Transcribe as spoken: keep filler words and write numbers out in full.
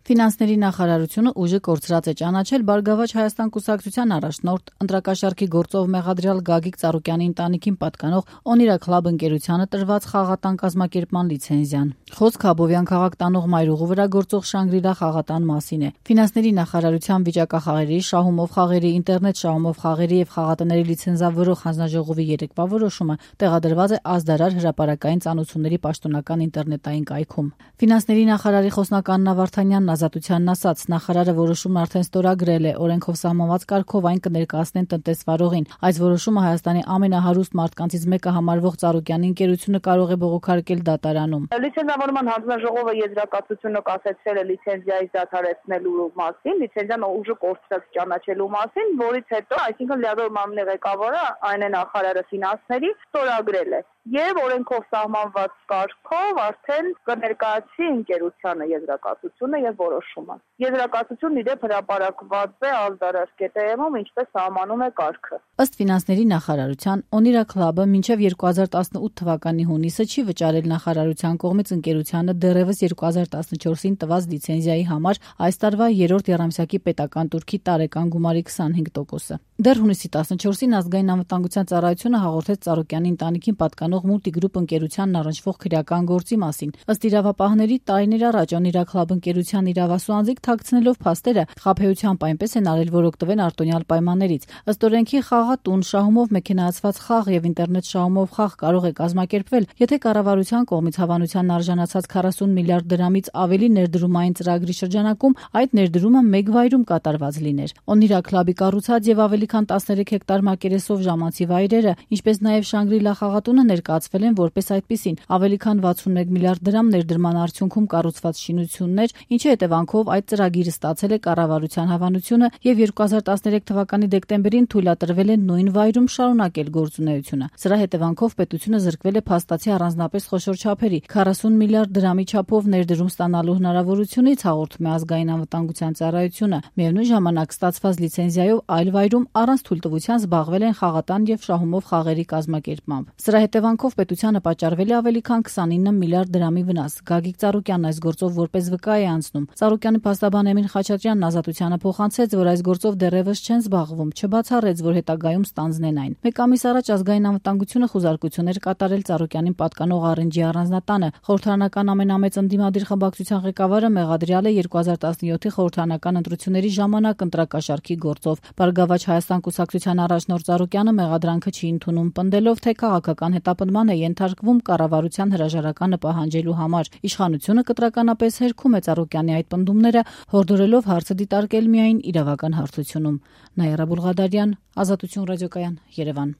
Ֆինանսների նախարարությունը ուժը կորցրած է ճանաչել Բարգավաճ Հայաստան կուսակցության առաջնորդ ընտրակաշառքի գործով մեղադրյալ Գագիկ Ծառուկյանի ընտանիքին պատկանող Օնիրա Քլաբ ընկերությանը տրված խաղատան կազմակերպման լիցենզիան։ Խոսքը Աբովյան քաղաք տանող մայրուղու վրա գործող Շանգրիլա խաղատան մասին է։ Ֆինանսների նախարարության վիճակախաղերի, շահումով խաղերի, ինտերնետ շահումով խաղերի եւ խաղատների լիցենզավորող հանձնաժողովի երեկվա որոշումը տեղադրված է Ազդարար հրապարակային ծանոթությունների պաշտոնական ինտերնետային կայքում։ Ֆինանսների նախարարի խոսնական Աննա Վարդանյանն ազատությանն ասաց, նախարարը որոշումն արդեն ստորագրել է, օրենքով սահմանված կարգով այն կներկայացնեն տնտեսվարողին։ Այս որոշումը Հայաստանի ամենահարուստ մարդկանցից մեկը համարվող Ծառուկյանի ընկերությունը կարող է բողոքարկել դատարանում։ Լիցենզավորման հանձնաժողովը եզրակացությունը կասեցրել է լիցենզիայի դադարեցնելու մասին, լիցենզիան ուժը կորցրած ճանաչելու մասին, որից հետո, այսինքն լիազոր մարմնի ղեկավարը, այն է նախարարը ֆինանսների, ստորագրել է եւ օրենքով սահմանված կարգով արդեն կներկայացի ընկերությանը եզրակացությունը եւ որոշումը։ Եզրակացությունն իդեպ հրապարակված է Ազդարար կետերում, ինչպես սահմանում է կարգը։ Ըստ ֆինանսների նախարարության, Օնիրա Քլաբը մինչև երկու հազար տասնութ թվականի հունիսը չի վճարել նախարարության կողմից ընկերությանը դեռևս երկու հազար տասնչորսին տված լիցենզիայի համար այս տարվա երրորդ եռամսյակի պետական տուրքի տարեկան գումարի քսանհինգ տոկոսը։ Դեռ հունիսի տասնչորսին ազգային անվտանգության ծառայությունը հաղորդեց Ծառուկյանի ընտանիքին պատկանող Multigroup ընկերությանն առնչվող քրեական գործի մասին։ Ըստ իրավապահների, տարիներ առաջ Օնիրա Քլաբ ընկերության իրավասու անձիկ թաքցնելով փաստերը խաբեությամբ այնպես են արել, որ օգտվեն արտոնյալ պայմաններից։ Ըստ օրենքի խաղատուն, շահումով մեքենայացված խաղ եւ ինտերնետ շահումով խաղ կարող է կազմակերպվել, եթե կառավարության կողմից հավանության արժանացած քառասուն միլիարդ դրամից ավելի ներդրումային ծրագրի շրջանակում այդ ներդրումը մեկ վայրում կատարված լիներ։ Օնիրա Քլաբի կառուցած եւ ավելի քան տասներեք հեկտար մակերեսով ժամանցի վայրերը, ինչպես նաեւ Շանգրիլա խաղատունը ներկայացվել են որպես այդպիսին, ավելի քան վաթսունմեկ միլիարդ դրամ ներդրման արդյունքում կառուցված շինություններ, ինչի հետևանքով այդ ծրագիրը ստացել է կառավարության հավանությունը եւ երկու հազար տասներեք թվականի դեկտեմբերին թույլատրվել է նույն վայրում շարունակել գործունեությունը։ Սրա հետևանքով պետությունը զրկվել է փաստացի առանձնապես խոշոր չափերի քառասուն միլիարդ դրամի չափով ներդրում ստանալու հնարավորությունից, հաղորդում է ազգային անվտանգության ծառայությունը։ Միևնույն ժամանակ ստացված լիցենզիայով այլ վայրում առանց թույլտվության զբաղվել են խաղատան եւ շահումով խաղերի կազմակերպմամբ։ Սրա հետևանքով պետությանը պատճառվել է ավելի քան քսանինը միլիարդ դրամի վնաս։ Գագիկ Ծառուկյանն այս գործով որպես վկա է անցնում։ Ծառուկյանի փաստաբան Էմին Խաչատրյանն ազատությանը փոխանցեց, որ այս գործով դեռևս չեն զբաղվում, չբացառեց, որ հետագայում ստանձնեն այն։ Մեկ ամիս առաջ ազգային անվտանգությունը խուզարկություններ կատարել Ծառուկյանին պատկանող Առենջի առանձնատանը։ Խորհրդարանական ամենամեծ ընդդիմադիր խմբակցության ղեկավարը մեղադրյալ է երկու հազար տասնյոթի խորհրդարանական ընտրությունների ժամանակ ընտրակաշառքի գործով։ Բարգավաճ Հայաստան կուսակցության առաջնորդ Ծառուկյանը մեղադրանքը չի ընդունում, պնդելով, թե քաղաքական հետապնդման է ենթարկվում կառավարության հրաժարականը պահանջելու համար։ Իշխանությունը կտրականապես հերքում է Ծառուկյանի այդ պնդումները, հորդորելով հարցը դիտարկել միայն իրավական հարթությունում։ Նաիրա Բուլղադարյան, Ազատություն ռադիոկայան, Երևան։